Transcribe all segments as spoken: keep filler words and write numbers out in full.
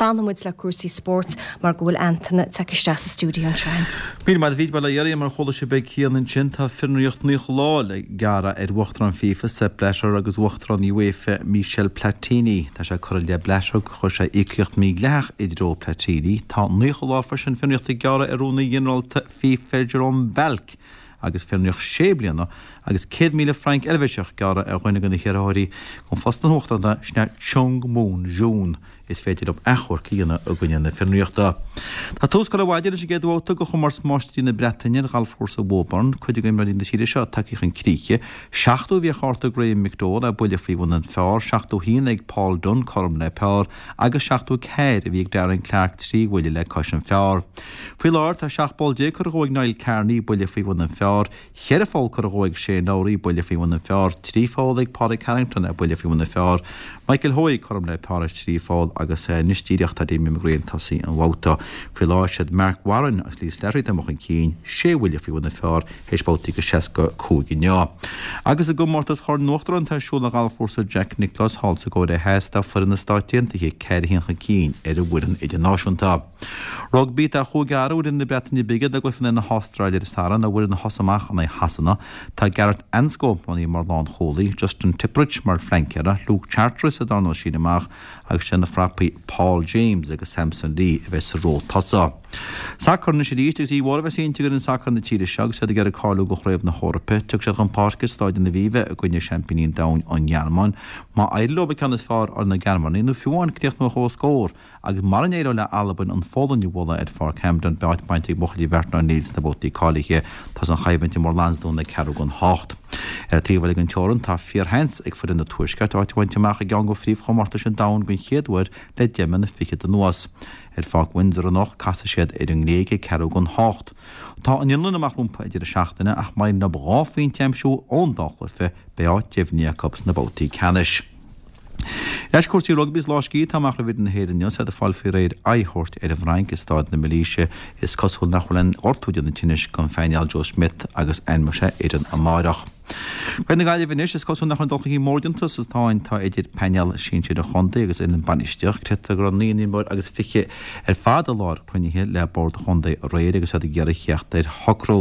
Fanfaidh muid le cúrsaí spóirt mar go bhfuil Antaine tagtha isteach sa stiúideo anseo. Míle maith agat, bhuel a Mhary, mar a chuala sibh ag Cian ansin, tá fionraíocht naocha lá le gearradh ar Uachtarán FIFA, Sepp Blatter agus Uachtarán UEFA, Michel Platini. Tá sé curtha i leith Blatter gur chuir sé íocaíocht mhídhleathach i dtreo Platini. Tá naocha lá freisin fionraíochta á gearradh ar Rúnaí Ginearálta FIFA, Jerome Valcke agus fionraíocht sé bliana agus céad míle franc Eilvéiseach gearrtha ar dhuine de na hiarrthóirí chun phost an uachtaráin, sin é Chung Mong-joon. Is féidir leo achomharc a dhéanamh i gcoinne na fionraíochta. Tá tús curtha ar maidin leis an gcéad bhabhta de chomórtas Máistrí na Breataine ar ghalfchúrsa Woburn, cuid de imreoirí na tíre seo tagtha chun críche. Seachtó a bhí ar chárta Graham McDowell, é buille faoi bhun an phar, seachtó a haon ag Paul Dunne, cothrom le par, agus seachtó a ceathair a bhí ag Darren Clarke, trí bhuille le cois an phar. Faoi láthair tá seacht bpoll déag curtha dhó ag Niall Kearney, buille faoi bhun an phar, Cheithre pholl curtha dhó ag Shane Lowry, buille faoi bhun an phar, trí pholl ag Pádraig Harrington, buille faoi bhun an phar, Michael Hoey cothrom le par ar thrí pholl agus anois díreach tá Damien McGrane ag tosaí an bhabhta. Faoi láthair siad Marc Warren agus Lee Slattery atá amuigh chun cinn, sé bhuille faoi bhun an phar théis babhtaí go seasca cúig inniu. Agus i gcomórtas Chorn an Uachtaráin atá ar siúl ar ghalfchúrsa Jack Nicklaus thall sa gCóiré Theas tá foireann na Stáit Aontaithe ceathair a haon chun cinn ar an bhfoireann idirnáisiúnta. Rugbaí, Tá chúig fhear ó fhoireann na Breataine Bige ag dul i gcluiche in aghaidh na hAstráile ar an Satharn, an bhfoireann a thosaigh amach in aghaidh Shasana. Tá Gareth Anscombe roghnaithe mar lánchúlaí, Justin Tipuric mar phleancéara, Luke Charteris sa darna síneadh amach agus sé na frapaí Paul James agus Samson Lee a bheidh sa ró tosaigh. Sacar anois arís agus oíche mhór a bheas inti d'fhoireann sacair na tíre seo agus iad ag iarraidh cáiliú do Chraobh na hEorpa. Tiocfaidh siad chun páirce i Stáid an Aviva i gcoinne seaimpíní an domhain, an Ghearmáin. Má éiríonn leo an ceann is fearr ar na Gearmánaigh nó fiú amháin críochnú ar comhscór, Agus mara n-éireoidh le Albain an Pholainn a bhualadh ar Pháirc Hampden, beidh áit bainte ag buachaillí Mhartin O'Neill sna babhtaí cáilithe. Tá an choimhlint i mBord Lansdún ag ceathrú don hocht. Ar an taobh eile den teorainn, tá fíorsheans ag foireann an Tuaiscirt áit a bhaint amach i gceann de phríomhchomórtais an domhain den chéad uair le deich mbliana fichead anuas. Ar Pháirc Windsor anocht, casfaidh siad ar an nGréig ag ceathrú don hocht. Tá an Fhionlainn amach rompu ag deireadh seachtaine ach má éiríonn leo dhá phointe a aimsiú ón dá chluiche, beidh áit deimhnithe acu sna babhtaí ceannais. Ar ais cúrsaí rugbaí is lá scíthe atá amach roimh fhoireann na hÉireann inniu is iad ag fáil faoi réir aghaidh a thabhairt ar an bhFrainc i Stáid na Milíse. Is cosúil nach bhfuil aon ghortú ag déanamh tinnis don phainéal Joe Schmidt agus ainmneoidh sé fhoireann amáireach. Craobh na Gaillimhe anois, is cosúil nach bhfuil aon dul chun cinn mór déanta sa tsáinn atá idir painéal sinsir an chontae agus fhoireann bainistíochta. Creidtear go raibh naoi n-imreoir agus fiche ar fad i láthair cruinnithe le bord an chontae aréir agus iad ag iarraidh theacht ar shocrú.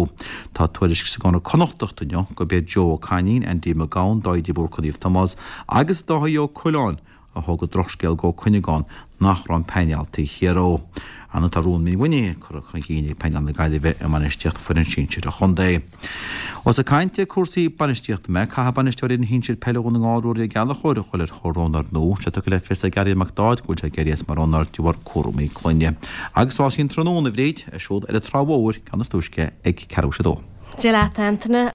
Tá tuairisc sa gConradh Connachtach inniu gurb iad Joe Ó Cainín, Andy Mac Gabhann, Dáithí de Búrca Naomh Tomás agus Dáithí Ó Coileáin a thug an drochscéal d'Ó Cuinneagáin nach raibh an painéal taobh thiar dhó. Ar ndóigh tá rún mímhuiníne curtha chun cinn ag painéal na Gaillimhe i mbainistíocht foireann sinsir an chontae. Ós ag caint ar cúrsaí bainistíochta mé, caithfidh bainisteoir fhoireann shinsir peile Dhún na nGall Ruairí Ó Gallchóir a dhul ar thóir roghnóir nua. Tá sé tugtha le fios ag Gary Mac Dáid go bhfuil sé ag éirí as mar roghnóir de bharr cúramaí clainne. Agus rásaí an tráthnóna, a Bhríd, ar siúl ar an Trá Mhór, ceann is túisce ag ceathrú théis a dó. Dia leat, Antaine.